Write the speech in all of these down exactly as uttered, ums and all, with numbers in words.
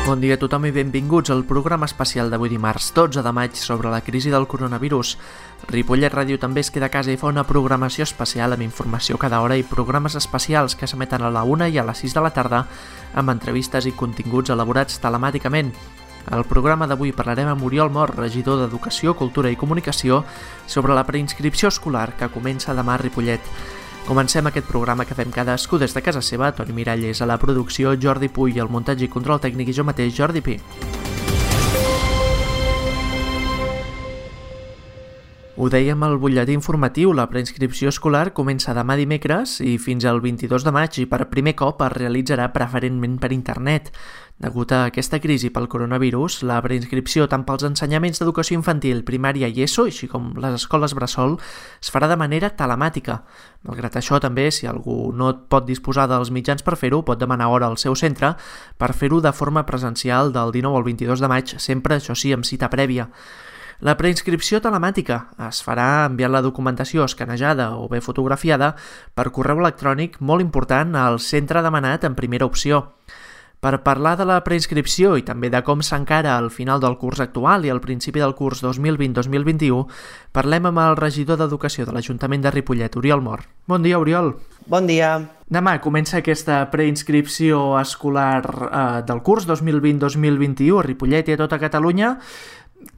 Bon dia a tothom i benvinguts al programa especial d'avui dimarts dotze de maig sobre la crisi del coronavirus. Ripollet Ràdio també es queda a casa i fa una programació especial amb informació cada hora i programes especials que s'emeten a la una i a les sis de la tarda amb entrevistes i continguts elaborats telemàticament. Al programa d'avui parlarem amb Oriol Mor, regidor d'Educació, Cultura i Comunicació, sobre la preinscripció escolar que comença demà a Ripollet. Comencem aquest programa que fem cadascú des de casa seva. Toni Miralles a la producció, Jordi Puy al muntatge i control tècnic i jo mateix, Jordi Pi. Ho dèiem al butlletí informatiu, la preinscripció escolar comença demà dimecres i fins al vint-i-dos de maig i per primer cop es realitzarà preferentment per internet. Degut a aquesta crisi pel coronavirus, la preinscripció tant pels ensenyaments d'educació infantil, primària i ESO, així com les escoles bressol, es farà de manera telemàtica. Malgrat això, també, si algú no pot disposar dels mitjans per fer-ho, pot demanar hora al seu centre per fer-ho de forma presencial del dinou al vint-i-dos de maig, sempre, això sí, amb cita prèvia. La preinscripció telemàtica es farà enviant la documentació escanejada o bé fotografiada per correu electrònic, molt important, al centre demanat en primera opció. Per parlar de la preinscripció i també de com s'encara al final del curs actual i al principi del curs dos mil vint dos mil vint-i-u, parlem amb el regidor d'Educació de l'Ajuntament de Ripollet, Oriol Mor. Bon dia, Oriol. Bon dia. Demà comença aquesta preinscripció escolar eh, del curs dos mil vint dos mil vint-i-u a Ripollet i a tota Catalunya.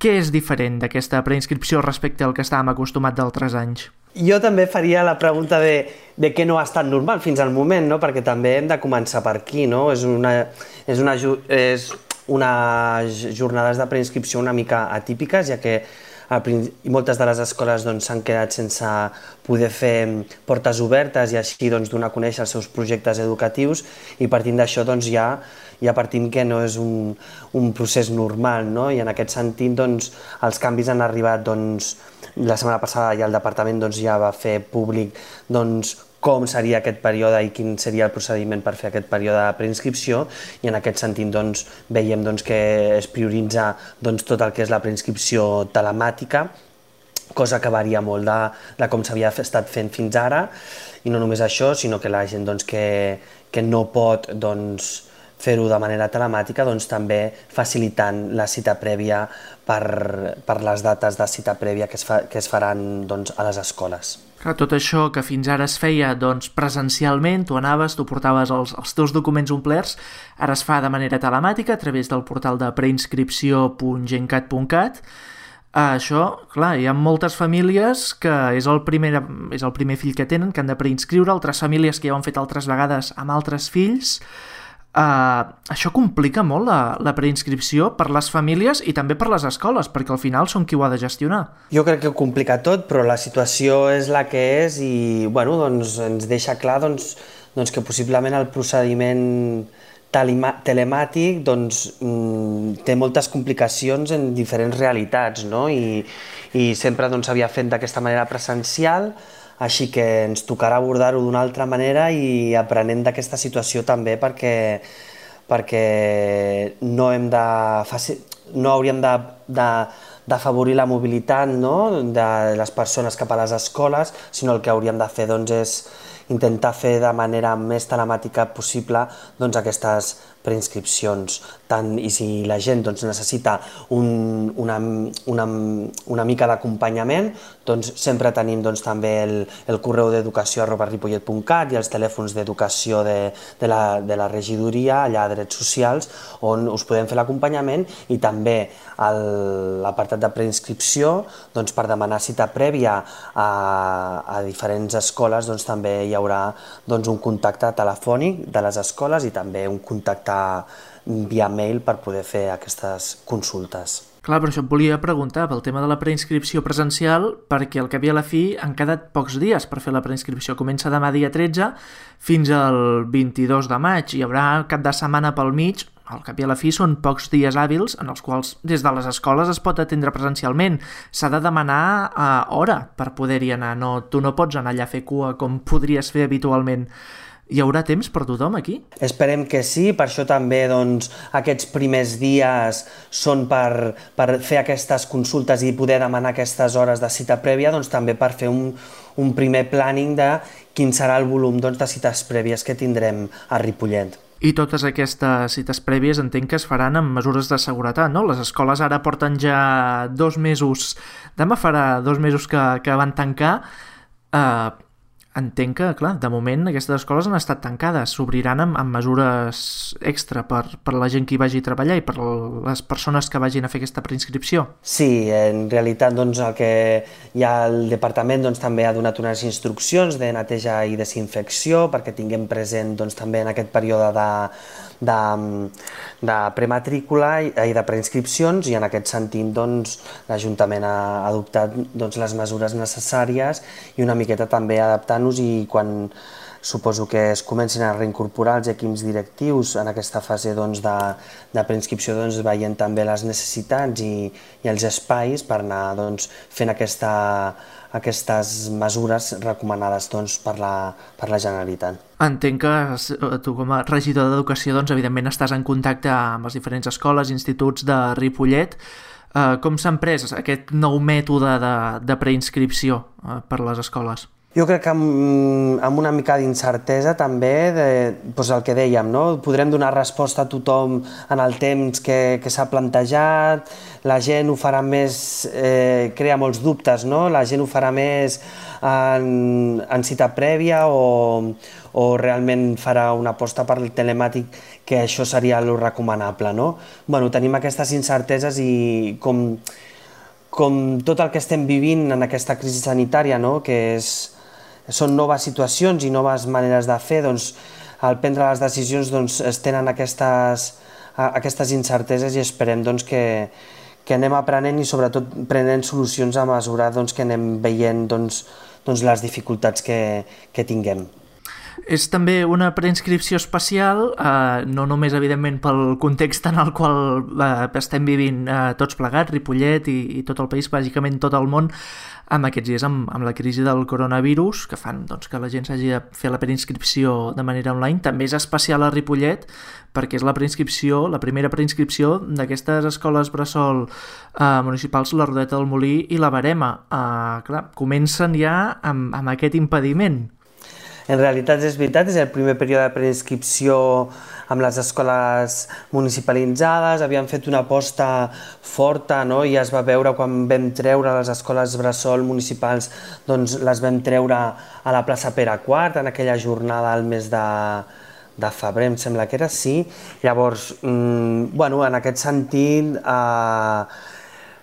Què és diferent d'aquesta preinscripció respecte al que estàvem acostumats d'altres anys? Jo també faria la pregunta de, de què no ha estat normal fins al moment, no? Perquè també hem de començar per aquí, no? És una, és una, és unes jornades de preinscripció una mica atípiques, ja que i moltes de les escoles s'han doncs, quedat sense poder fer portes obertes i així doncs, donar a conèixer els seus projectes educatius, i partint d'això doncs, ja, ja partim que no és un, un procés normal, no? I en aquest sentit doncs, els canvis han arribat doncs, la setmana passada ja el departament doncs, ja va fer públic doncs, com seria aquest període i quin seria el procediment per fer aquest període de preinscripció, i en aquest sentit doncs, veiem doncs, que es prioritza doncs, tot el que és la preinscripció telemàtica, cosa que varia molt de, de com s'havia estat fent fins ara, i no només això, sinó que la gent doncs, que, que no pot doncs, fer-ho de manera telemàtica, doncs, també facilitant la cita prèvia per, per les dates de cita prèvia que es, fa, que es faran doncs, a les escoles. Clar, tot això que fins ara es feia doncs, presencialment, tu anaves, tu portaves els, els teus documents omplerts, ara es fa de manera telemàtica a través del portal de preinscripció punt gencat punt cat. Això, clar, hi ha moltes famílies que és el, primer, és el primer fill que tenen, que han de preinscriure, altres famílies que ja ho han fet altres vegades amb altres fills. Uh, això complica molt la, la preinscripció per les famílies i també per les escoles, perquè al final són qui ho ha de gestionar. Jo crec que ho complica tot, però la situació és la que és i bueno, doncs, ens deixa clar doncs, doncs que possiblement el procediment telemàtic doncs, té moltes complicacions en diferents realitats, no? I, i sempre doncs, s'havia fet d'aquesta manera presencial, així que ens tocarà abordar-ho d'una altra manera i aprenent d'aquesta situació també perquè, perquè no, hem de, no hauríem d'afavorir la mobilitat, no? De les persones cap a les escoles, sinó el que hauríem de fer doncs, és intentar fer de manera més telemàtica possible doncs, aquestes preinscripcions. Tant, i si la gent doncs, necessita un, una, una, una mica d'acompanyament, doncs sempre tenim doncs, també el, el correu d'educació arroba ripollet punt cat i els telèfons d'educació de, de, la, de la regidoria, allà a Drets Socials, on us podem fer l'acompanyament, i també l'apartat de preinscripció, doncs, per demanar cita prèvia a, a diferents escoles, doncs, també hi haurà doncs, un contacte telefònic de les escoles i també un contacte via mail per poder fer aquestes consultes. Clar, però això et volia preguntar pel tema de la preinscripció presencial, perquè al cap i a la fi han quedat pocs dies per fer la preinscripció. Comença demà dia tretze fins al vint-i-dos de maig, hi haurà cap de setmana pel mig. Al cap i a la fi són pocs dies hàbils en els quals des de les escoles es pot atendre presencialment. S'ha de demanar a hora per poder-hi anar, no, tu no pots anar allà a fer cua com podries fer habitualment. Hi haurà temps per tothom aquí? Esperem que sí, per això també doncs, aquests primers dies són per, per fer aquestes consultes i poder demanar aquestes hores de cita prèvia, doncs també per fer un, un primer planning de quin serà el volum doncs, de cites prèvies que tindrem a Ripollet. I totes aquestes cites prèvies entenc que es faran amb mesures de seguretat, no? Les escoles ara porten ja dos mesos, demà farà dos mesos que, que van tancar. Eh, entenc que, clar, de moment aquestes escoles han estat tancades, s'obriran amb, amb mesures extra per, per la gent que hi vagi a treballar i per les persones que vagin a fer aquesta preinscripció. Sí, en realitat doncs, el que hi ha el departament doncs, també ha donat unes instruccions de neteja i desinfecció perquè tinguem present doncs, també en aquest període de, de, de prematrícula i, i de preinscripcions, i en aquest sentit doncs, l'Ajuntament ha adoptat doncs, les mesures necessàries i una miqueta també adaptant i quan suposo que es comencin a reincorporar els equips directius en aquesta fase doncs, de, de preinscripció, doncs, veient també les necessitats i, i els espais per anar doncs, fent aquesta, aquestes mesures recomanades doncs, per, la, per la Generalitat. Entenc que tu com a regidor d'Educació doncs, evidentment estàs en contacte amb les diferents escoles, instituts de Ripollet. Uh, com s'ha pres aquest nou mètode de, de preinscripció uh, per les escoles? Jo crec que amb, amb una mica d'incertesa també, de, doncs el que dèiem, no? Podrem donar resposta a tothom en el temps que, que s'ha plantejat, la gent ho farà més, eh, crea molts dubtes, no? La gent ho farà més en, en cita prèvia o, o realment farà una aposta per el telemàtic, que això seria el recomanable, no? Bueno, tenim aquestes incerteses i com, com tot el que estem vivint en aquesta crisi sanitària, no? Que és són noves situacions i noves maneres de fer, doncs, al prendre les decisions doncs, es tenen aquestes, aquestes incerteses i esperem doncs, que, que anem aprenent i sobretot prenent solucions a mesura doncs, que anem veient doncs, doncs, les dificultats que, que tinguem. És també una preinscripció especial, eh, no només evidentment pel context en el qual eh, estem vivint eh, tots plegats, Ripollet i, i tot el país, bàsicament tot el món, amb aquests dies amb, amb la crisi del coronavirus, que fan doncs, que la gent s'hagi de fer la preinscripció de manera online. També és especial a Ripollet perquè és la preinscripció, la primera preinscripció d'aquestes escoles bressol eh, municipals, la Rodeta del Molí i la Verema. Eh, clar, comencen ja amb, amb aquest impediment. En realitat és veritat, és el primer període de preinscripció amb les escoles municipalitzades, havíem fet una aposta forta, no? I es va veure quan vam treure les escoles bressol municipals, doncs les vam treure a la plaça Pere quart, en aquella jornada al mes de, de febrer, em sembla que era, sí. Llavors, mmm, bueno, en aquest sentit, eh,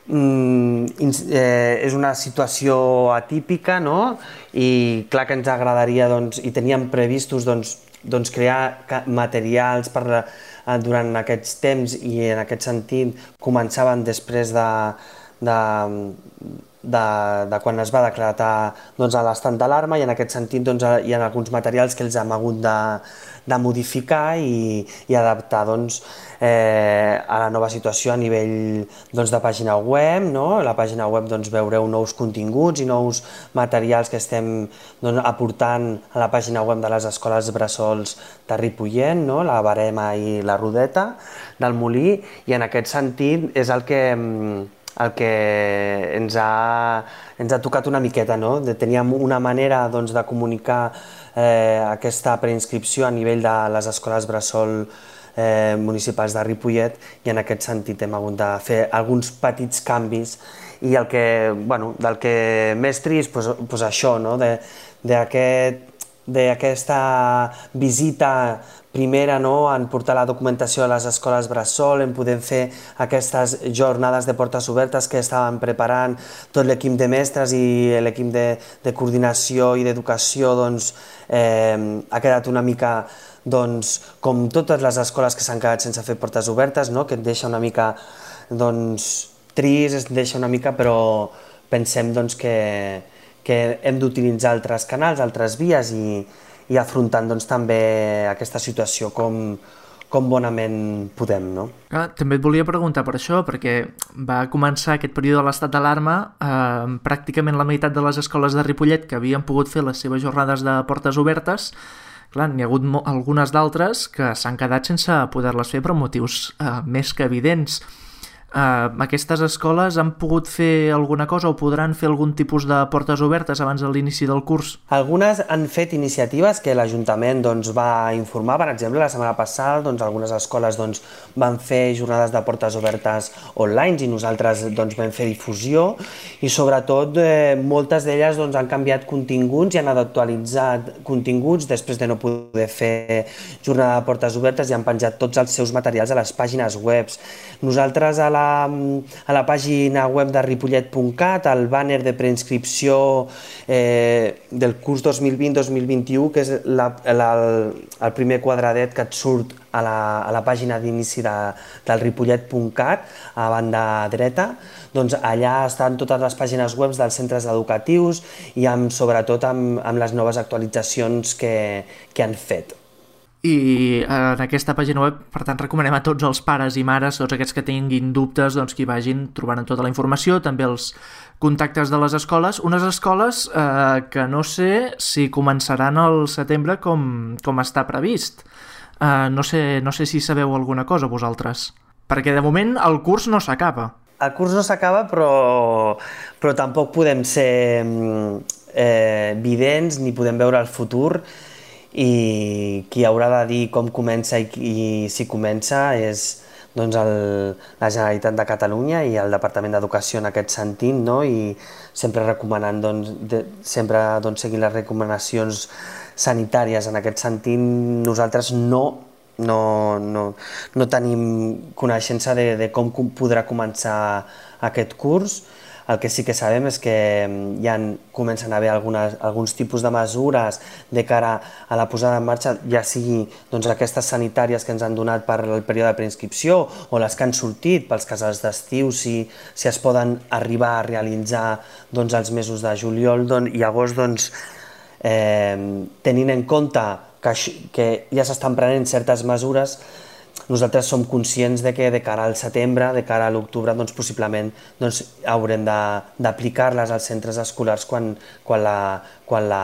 Mm, eh, és una situació atípica, no? I clar que ens agradaria doncs, i teníem previstos doncs, doncs crear materials per, eh, durant aquests temps i en aquest sentit començaven després de, de, de, de quan es va declarar doncs, l'estat d'alarma i en aquest sentit doncs, hi ha alguns materials que els hem hagut de, de modificar i, i adaptar doncs, eh, a la nova situació a nivell doncs, de pàgina web, no? A la pàgina web doncs, veureu nous continguts i nous materials que estem doncs, aportant a la pàgina web de les escoles bressols de Ripollet, no? La Verema i la Rodeta del Molí, i en aquest sentit és el que, el que ens, ha, ens ha tocat una miqueta, no? Teníem una manera doncs, de comunicar eh, aquesta preinscripció a nivell de les escoles bressol Eh, municipals de Ripollet i en aquest sentit hem hagut de fer alguns petits canvis i el que, bueno, del que més trist, pues, pues això, no? de, d'aquest, d'aquesta visita primera, no? En portar la documentació a les escoles bressol, en poder fer aquestes jornades de portes obertes que estaven preparant tot l'equip de mestres i l'equip de, de coordinació i d'educació, doncs eh, ha quedat una mica doncs, com totes les escoles que s'han quedat sense fer portes obertes, no? Que et deixa una mica doncs, trist, et deixa una mica, però pensem doncs, que, que hem d'utilitzar altres canals, altres vies i, i afrontant doncs, també aquesta situació com, com bonament podem. No? Ah, també et volia preguntar per això, perquè va començar aquest període de l'estat d'alarma, eh, pràcticament la meitat de les escoles de Ripollet que havien pogut fer les seves jornades de portes obertes. Clar, n'hi ha hagut algunes d'altres que s'han quedat sense poder-les fer per motius eh, més que evidents. Uh, aquestes escoles han pogut fer alguna cosa o podran fer algun tipus de portes obertes abans de l'inici del curs? Algunes han fet iniciatives que l'Ajuntament doncs, va informar. Per exemple, la setmana passada doncs, algunes escoles doncs, van fer jornades de portes obertes online i nosaltres doncs, vam fer difusió i sobretot eh, moltes d'elles doncs, han canviat continguts i han actualitzat continguts després de no poder fer jornada de portes obertes i han penjat tots els seus materials a les pàgines web. Nosaltres a la a la pàgina web de ripollet punt cat, el bàner de preinscripció eh, del curs dos mil vint dos mil vint-i-u, que és la, la, el primer quadradet que et surt a la, a la pàgina d'inici de, del ripollet punt cat, a banda dreta, doncs allà estan totes les pàgines web dels centres educatius i amb, sobretot amb, amb les noves actualitzacions que, que han fet. I en aquesta pàgina web, per tant, recomanem a tots els pares i mares, tots aquests que tinguin dubtes, doncs que hi vagin trobant tota la informació, també els contactes de les escoles, unes escoles eh, que no sé si començaran al setembre com, com està previst. Eh, no sé, no sé si sabeu alguna cosa vosaltres, perquè de moment el curs no s'acaba. El curs no s'acaba, però, però tampoc podem ser eh, vidents ni podem veure el futur, i qui haurà de dir com comença i, i si comença és doncs, el, la Generalitat de Catalunya i el Departament d'Educació en aquest sentit, no? I sempre recomanant, doncs, de, sempre doncs, seguint les recomanacions sanitàries en aquest sentit. Nosaltres no, no, no, no tenim coneixença de, de com podrà començar aquest curs. El que sí que sabem és que ja comencen a haver algunes, alguns tipus de mesures de cara a la posada en marxa, ja sigui doncs, aquestes sanitàries que ens han donat per el període de preinscripció o les que han sortit pels casals d'estiu, si, si es poden arribar a realitzar doncs, els mesos de juliol doncs, i agost, doncs, eh, tenint en compte que, que ja s'estan prenent certes mesures, nosaltres som conscients de que de cara al setembre, de cara a l'octubre, doncs possiblement doncs, haurem d'aplicar-les als centres escolars quan, quan, la, quan, la,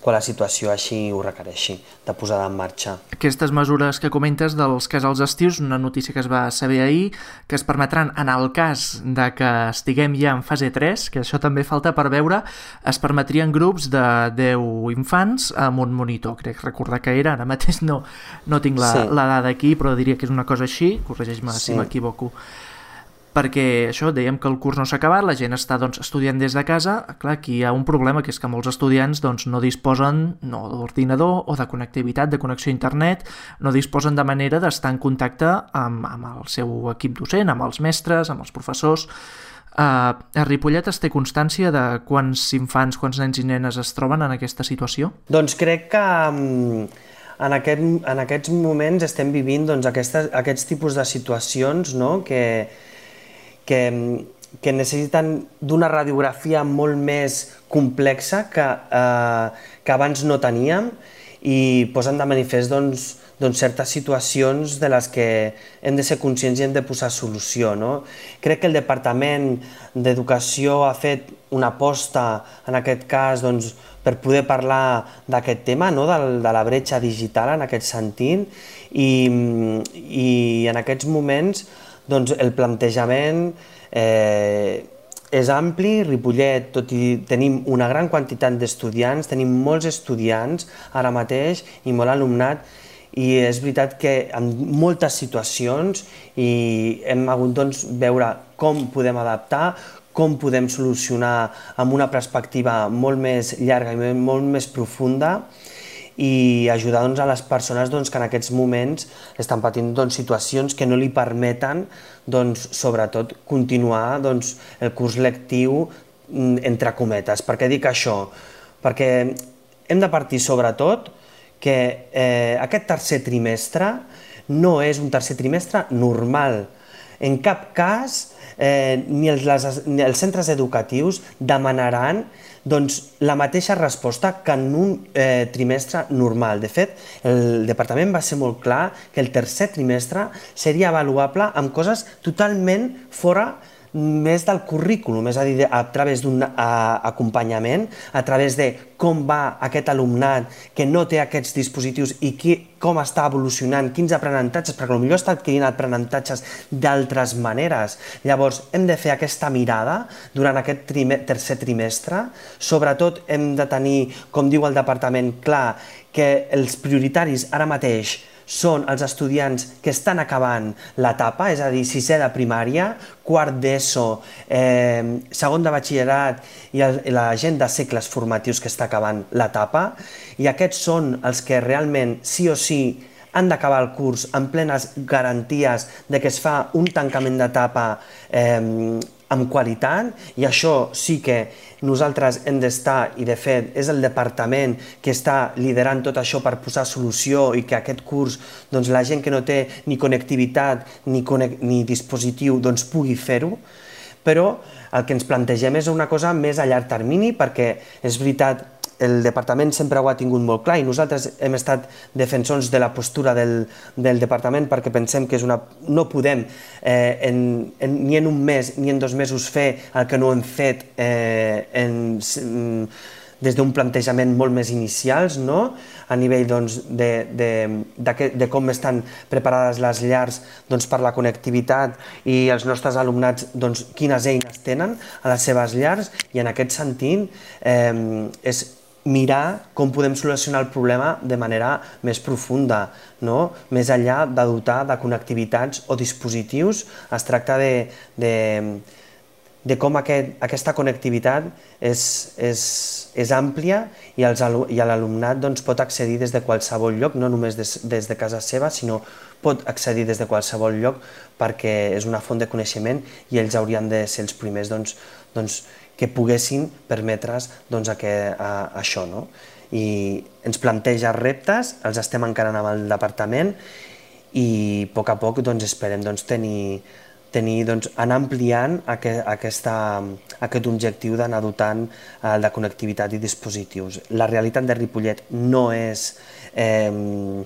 quan la situació així ho requereixi, de posada en marxa. Aquestes mesures que comentes dels casals estius, una notícia que es va saber ahir, que es permetran, en el cas de que estiguem ja en fase tres, que això també falta per veure, es permetrien grups de deu infants amb un monitor, crec recordar que era, ara mateix no, no tinc la, sí. la dada aquí, però diria que és una cosa així, corregeix-me sí. si m'equivoco. Perquè això, dèiem que el curs no s'ha acabat, la gent està doncs, estudiant des de casa, clar, aquí hi ha un problema, que és que molts estudiants doncs, no disposen no, d'ordinador o de connectivitat, de connexió a internet, no disposen de manera d'estar en contacte amb, amb el seu equip docent, amb els mestres, amb els professors. Uh, a Ripollet es té constància de quants infants, quants nens i nenes es troben en aquesta situació? Doncs crec que um, en, aquest, en aquests moments estem vivint doncs, aquestes, aquests tipus de situacions, no?, que Que, que necessiten d'una radiografia molt més complexa que, eh, que abans no teníem i posen de manifest doncs, doncs certes situacions de les que hem de ser conscients i hem de posar solució. No? Crec que el Departament d'Educació ha fet una aposta, en aquest cas, doncs, per poder parlar d'aquest tema, no? de, de la bretxa digital en aquest sentit, i, i en aquests moments doncs el plantejament eh, és ampli. Ripollet, tot i tenim una gran quantitat d'estudiants, tenim molts estudiants ara mateix i molt alumnat, i és veritat que en moltes situacions i hem hagut doncs, veure com podem adaptar, com podem solucionar amb una perspectiva molt més llarga i molt més profunda, i ajudar doncs, a les persones doncs, que en aquests moments estan patint doncs, situacions que no li permeten doncs, sobretot continuar doncs, el curs lectiu entre cometes. Per què dic això? Perquè hem de partir sobretot que eh, aquest tercer trimestre no és un tercer trimestre normal. En cap cas eh, ni, els, les, ni els centres educatius demanaran doncs, la mateixa resposta que en un eh, trimestre normal. De fet, el departament va ser molt clar que el tercer trimestre seria avaluable amb coses totalment fora més del currículum, és a dir, a través d'un acompanyament, a través de com va aquest alumnat que no té aquests dispositius i qui, com està evolucionant, quins aprenentatges, perquè potser està adquirint aprenentatges d'altres maneres. Llavors, hem de fer aquesta mirada durant aquest trime, tercer trimestre. Sobretot hem de tenir, com diu el departament, clar que els prioritaris ara mateix són els estudiants que estan acabant l'etapa, és a dir, sisè de primària, quart d'ESO, eh, segon de batxillerat i el, la gent de cicles formatius que està acabant l'etapa, i aquests són els que realment sí o sí han d'acabar el curs amb plenes garanties de que es fa un tancament d'etapa eh, amb qualitat, i això sí que nosaltres hem d'estar, i de fet és el departament que està liderant tot això per posar solució i que aquest curs doncs, la gent que no té ni connectivitat ni, ni dispositiu doncs, pugui fer-ho, però el que ens plantegem és una cosa més a llarg termini, perquè és veritat, el departament sempre ho ha tingut molt clar i nosaltres hem estat defensors de la postura del, del departament perquè pensem que és una, no podem eh, en, en, ni en un mes ni en dos mesos fer el que no hem fet eh, en, des d'un plantejament molt més inicials, no? A nivell doncs, de, de, de, de com estan preparades les llars doncs, per la connectivitat i els nostres alumnats doncs, quines eines tenen a les seves llars, i en aquest sentit eh, és mirar com podem solucionar el problema de manera més profunda, no? Més enllà de dotar de connectivitats o dispositius, es tracta de, de, de com aquest, aquesta connectivitat és, és, és àmplia i, els, i l'alumnat doncs, pot accedir des de qualsevol lloc, no només des, des de casa seva, sinó pot accedir des de qualsevol lloc perquè és una font de coneixement i ells haurien de ser els primers doncs, doncs, que poguessin permetre's doncs, a que, a, a això. No? I ens planteja reptes, els estem encarant amb el departament i a poc a poc doncs, esperem doncs, tenir, tenir, doncs, anar ampliant aquest, aquesta, aquest objectiu d'anar dotant eh, de connectivitat i dispositius. La realitat de Ripollet no és eh,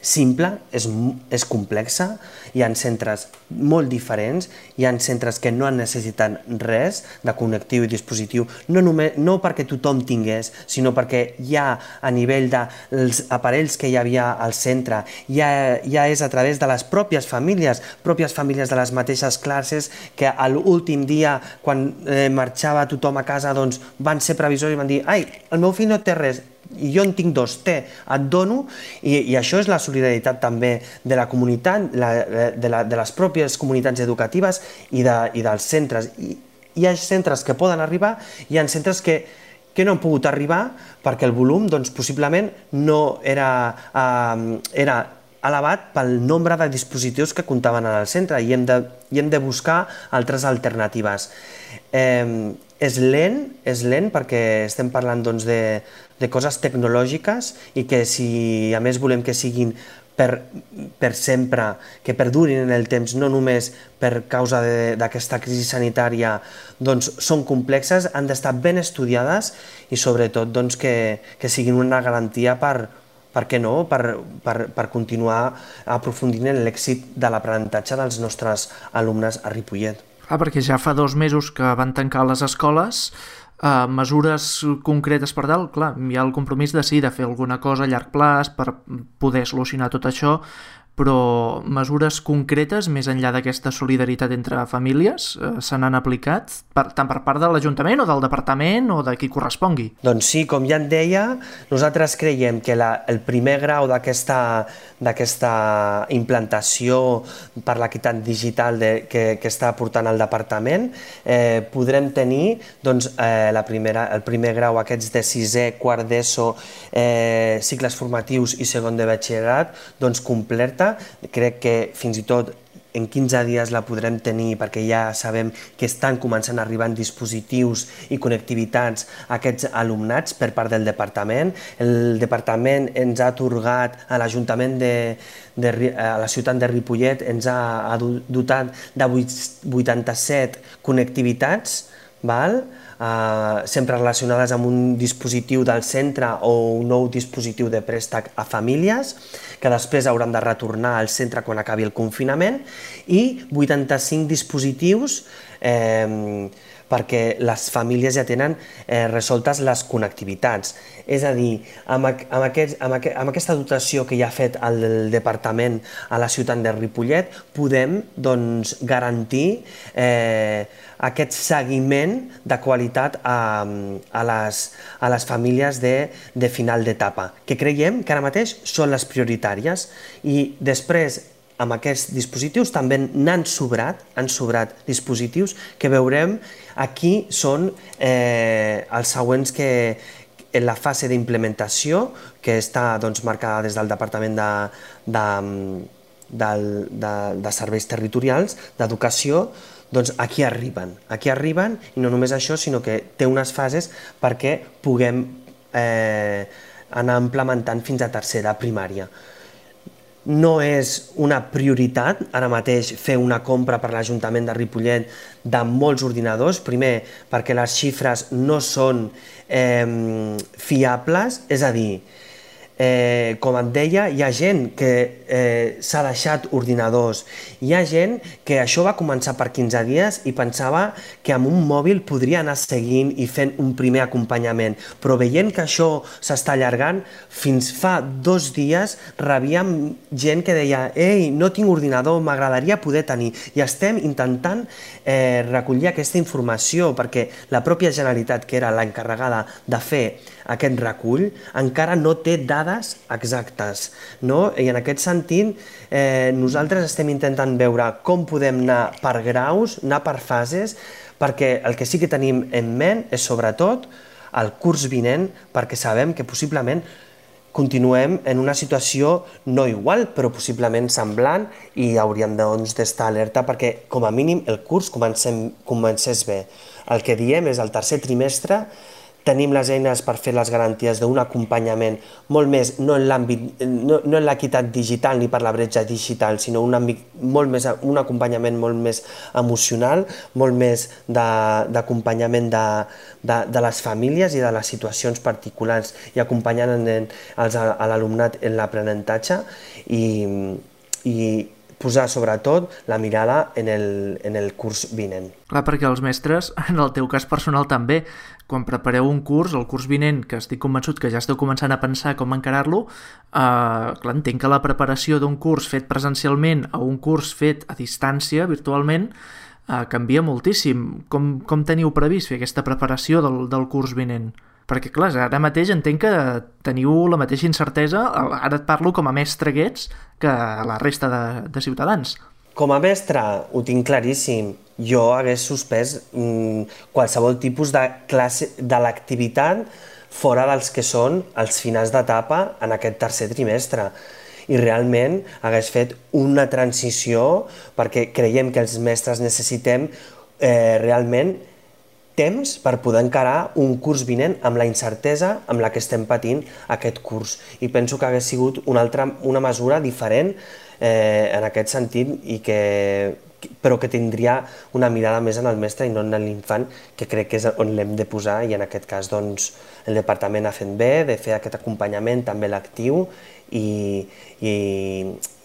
simple, és, és complexa, hi ha centres molt diferents, hi ha centres que no han necessitat res de connectiu i dispositiu, no, només, no perquè tothom tingués, sinó perquè ja a nivell dels aparells que hi havia al centre, ja, ja és a través de les pròpies famílies, pròpies famílies de les mateixes classes, que a l'últim dia, quan eh, marxava tothom a casa, doncs van ser previsors i van dir «Ai, el meu fill no té res», i jo en tinc dos, té, et dono, i, i això és la solidaritat també de la comunitat, la, de, la, de les pròpies comunitats educatives i, de, i dels centres. I, hi ha centres que poden arribar, hi ha centres que, que no han pogut arribar perquè el volum doncs, possiblement no era, eh, era elevat pel nombre de dispositius que comptaven en el centre i hem de, i hem de buscar altres alternatives. Eh, és lent, és lent perquè estem parlant doncs, de, de coses tecnològiques i que si a més volem que siguin per, per sempre, que perdurin en el temps, no només per causa d'aquesta crisi sanitària, doncs són complexes, han d'estar ben estudiades i sobretot doncs, que, que siguin una garantia per, per què no? Per, per, per continuar aprofundint en l'èxit de l'aprenentatge dels nostres alumnes a Ripollet. Ah, perquè ja fa dos mesos que van tancar les escoles, eh, mesures concretes per dalt, clar, hi ha el compromís de sí, de fer alguna cosa a llarg plaç per poder solucionar tot això, però mesures concretes, més enllà d'aquesta solidaritat entre famílies, eh, se n'han aplicat, per, tant per part de l'Ajuntament o del Departament o de qui correspongui? Doncs sí, com ja et deia, nosaltres creiem que la, el primer grau d'aquesta d'aquesta implantació per l'equitat digital de, que, que està portant el Departament, eh, podrem tenir doncs, eh, la primera, el primer grau, aquests de sisè, quart d'ESO, eh, cicles formatius i segon de batxillerat, doncs completa. Crec que fins i tot en quinze dies la podrem tenir perquè ja sabem que estan començant a arribar dispositius i connectivitats a aquests alumnats per part del departament. El departament ens ha atorgat a l'Ajuntament de, de a la ciutat de Ripollet, ens ha, ha dotat de vuitanta-set connectivitats val? Uh, sempre relacionades amb un dispositiu del centre o un nou dispositiu de préstec a famílies, que després hauran de retornar al centre quan acabi el confinament, i vuitanta-cinc dispositius eh, perquè les famílies ja tenen eh, resoltes les connectivitats. És a dir, amb, amb, aquest, amb, aquest, amb aquesta dotació que ja ha fet el departament a la ciutat de Ripollet, podem doncs, garantir eh, aquest seguiment de qualitat a, a, les, a les famílies de, de final d'etapa, que creiem que ara mateix són les prioritàries. I després, amb aquests dispositius també n'han sobrat, han sobrat dispositius que veurem aquí són eh, els següents que en la fase d'implementació, que està doncs, marcada des del Departament de, de, de, de, de Serveis Territorials, d'Educació, doncs aquí arriben, aquí arriben, i no només això, sinó que té unes fases perquè puguem eh, anar implementant fins a tercera primària. No és una prioritat ara mateix fer una compra per l'Ajuntament de Ripollet de molts ordinadors, primer perquè les xifres no són eh, fiables, és a dir, eh, com et deia, hi ha gent que eh, s'ha deixat ordinadors, hi ha gent que això va començar per quinze dies i pensava que amb un mòbil podria anar seguint i fent un primer acompanyament, però veient que això s'està allargant, fins fa dos dies rebíem gent que deia «Ei, no tinc ordinador, m'agradaria poder tenir», i estem intentant eh, recollir aquesta informació perquè la pròpia Generalitat, que era l'encarregada de fer aquest recull, encara no té dades exactes, no? I en aquest sentit eh, nosaltres estem intentant veure com podem anar per graus, anar per fases, perquè el que sí que tenim en ment és sobretot el curs vinent, perquè sabem que possiblement continuem en una situació no igual, però possiblement semblant, i hauríem doncs, d'estar alerta perquè com a mínim el curs comencem, comencés bé. El que diem és el tercer trimestre tenim les eines per fer les garanties d'un acompanyament molt més, no en l'àmbit, no, no en l'equitat digital ni per la bretxa digital, sinó un, àmbit molt més, un acompanyament molt més emocional, molt més d'acompanyament de, de, de les famílies i de les situacions particulars, i acompanyant en, els, a l'alumnat en l'aprenentatge i, i posar sobretot la mirada en el, en el curs vinent. Clar, perquè els mestres, en el teu cas personal també, quan prepareu un curs, el curs vinent, que estic convençut que ja esteu començant a pensar com encarar-lo, eh, clar, entenc que la preparació d'un curs fet presencialment a un curs fet a distància, virtualment, eh, canvia moltíssim. Com, com teniu previst fer aquesta preparació del, del curs vinent? Perquè, clar, ara mateix entenc que teniu la mateixa incertesa, ara et parlo com a mestre que ets, que la resta de, de ciutadans. Com a mestre ho tinc claríssim. Jo hagués suspès mm, qualsevol tipus de classe de l'activitat fora dels que són els finals d'etapa en aquest tercer trimestre. I realment hagués fet una transició perquè creiem que els mestres necessitem eh, realment temps per poder encarar un curs vinent amb la incertesa amb la que estem patint aquest curs. I penso que hagués sigut una, altra, una mesura diferent eh, en aquest sentit, i que, però que tindria una mirada més en el mestre i no en l'infant, que crec que és on l'hem de posar, i en aquest cas doncs, el departament ha fet bé de fer aquest acompanyament també lectiu i, i,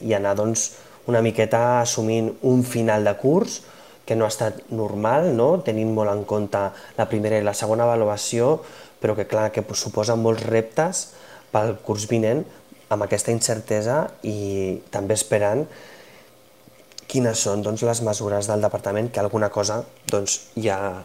i anar doncs, una miqueta assumint un final de curs que no ha estat normal, no? Tenint molt en compte la primera i la segona avaluació, però que clar que suposa molts reptes pel curs vinent amb aquesta incertesa, i també esperant quines són doncs, les mesures del departament, que alguna cosa doncs, ja,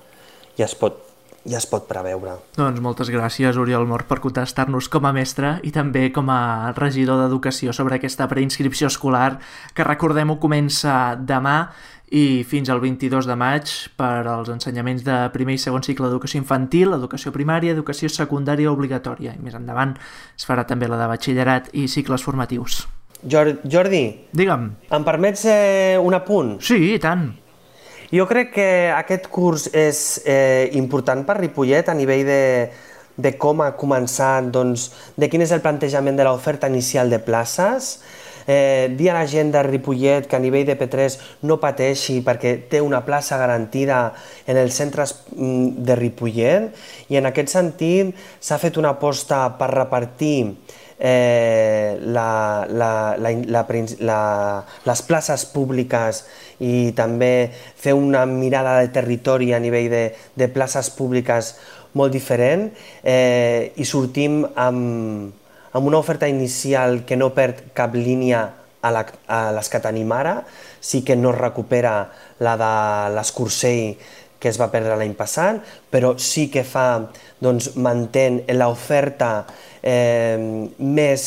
ja, es pot, ja es pot preveure. Doncs moltes gràcies, Oriol Mor, per contestar-nos com a mestre i també com a regidor d'Educació sobre aquesta preinscripció escolar, que recordem-ho comença demà i fins al vint-i-dos de maig per als ensenyaments de primer i segon cicle d'educació infantil, educació primària, educació secundària obligatòria. I més endavant es farà també la de batxillerat i cicles formatius. Jordi, digue'm. Em permets eh, un apunt? Sí, i tant. Jo crec que aquest curs és eh, important per Ripollet a nivell de, de com ha començat, doncs, de quin és el plantejament de l'oferta inicial de places. eh, dir a la gent de Ripollet que a nivell de P tres no pateixi perquè té una plaça garantida en els centres de Ripollet, i en aquest sentit s'ha fet una aposta per repartir eh, la, la, la, la, la, les places públiques i també fer una mirada de territori a nivell de, de places públiques molt diferent, eh, i sortim amb, amb una oferta inicial que no perd cap línia a, la, a les que tenim ara, sí que no recupera la de l'Escursell que es va perdre l'any passat, però sí que fa, doncs, mantén l'oferta eh, més,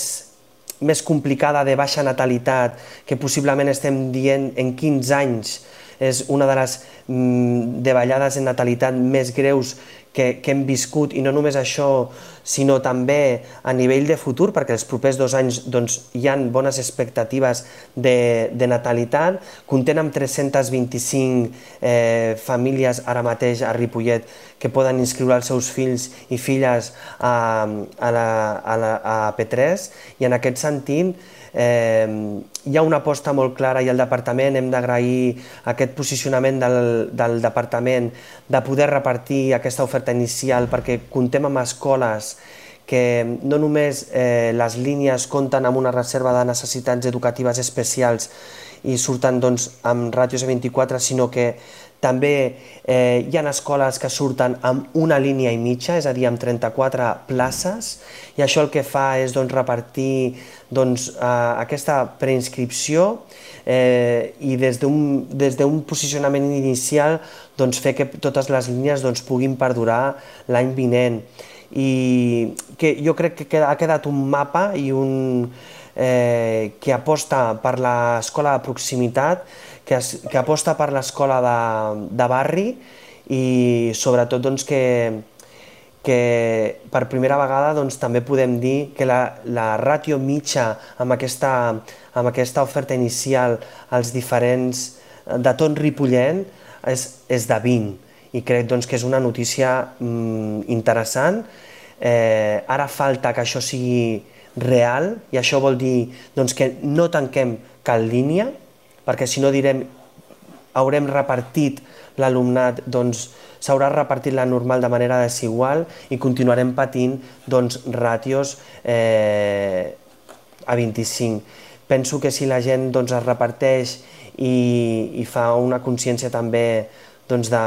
més complicada de baixa natalitat, que possiblement estem dient en quinze anys és una de les mm, davallades en natalitat més greus que, que hem viscut, i no només això, sinó també a nivell de futur, perquè els propers dos anys doncs, hi ha bones expectatives de, de natalitat. Comptem amb tres-centes vint-i-cinc eh, famílies ara mateix a Ripollet que poden inscriure els seus fills i filles a, a, la, a, la, a P tres, i en aquest sentit Eh, hi ha una aposta molt clara, i el departament hem d'agrair aquest posicionament del, del departament de poder repartir aquesta oferta inicial, perquè comptem amb escoles que no només eh, les línies compten amb una reserva de necessitats educatives especials i surten doncs, amb ràtios de vint-i-quatre, sinó que també eh, hi ha escoles que surten amb una línia i mitja, és a dir, amb trenta-quatre places, i això el que fa és doncs, repartir doncs, eh, aquesta preinscripció eh, i des d'un des d'un posicionament inicial doncs, fer que totes les línies doncs, puguin perdurar l'any vinent. I que jo crec que ha quedat un mapa i un, eh, que aposta per l'escola de proximitat, que, es, que aposta per l'escola de, de barri, i sobretot doncs, que, que per primera vegada doncs, també podem dir que la, la ràtio mitja amb aquesta, amb aquesta oferta inicial als diferents de tot Ripollet és, és de vint, i crec doncs, que és una notícia mm, interessant. Eh, ara falta que això sigui real, i això vol dir doncs, que no tanquem cap línia, perquè si no direm haurem repartit l'alumnat, doncs s'haurà repartit la normal de manera desigual i continuarem patint doncs, ràtios eh, a vint-i-cinc. Penso que si la gent doncs, es reparteix i, i fa una consciència també doncs, de,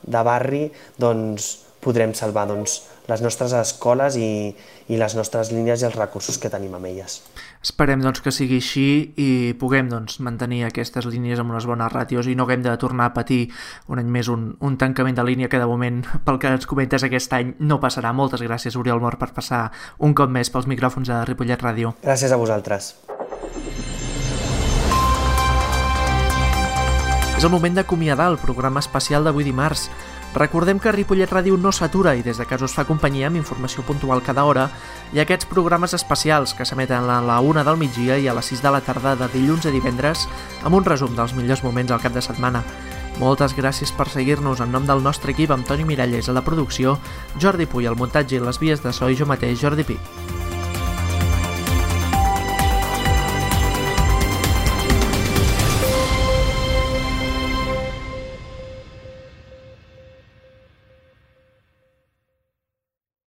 de barri, doncs, podrem salvar doncs, les nostres escoles i, i les nostres línies i els recursos que tenim amb elles. Esperem doncs, que sigui així i puguem doncs, mantenir aquestes línies amb unes bones ràtios i no haguem de tornar a patir un any més un, un tancament de línia que de moment, pel que ens comentes aquest any, no passarà. Moltes gràcies, Oriol Mor, per passar un cop més pels micròfons de Ripollet Ràdio. Gràcies a vosaltres. És el moment d'acomiadar el programa especial d'avui dimarts. Recordem que Ripollet Ràdio no s'atura i des de casa us fa companyia amb informació puntual cada hora i aquests programes especials que s'emeten a la una del migdia i a les sis de la tarda de dilluns a divendres amb un resum dels millors moments al cap de setmana. Moltes gràcies per seguir-nos en nom del nostre equip, amb Toni Miralles a la producció, Jordi Puy al muntatge i les vies de so i jo mateix, Jordi Pi.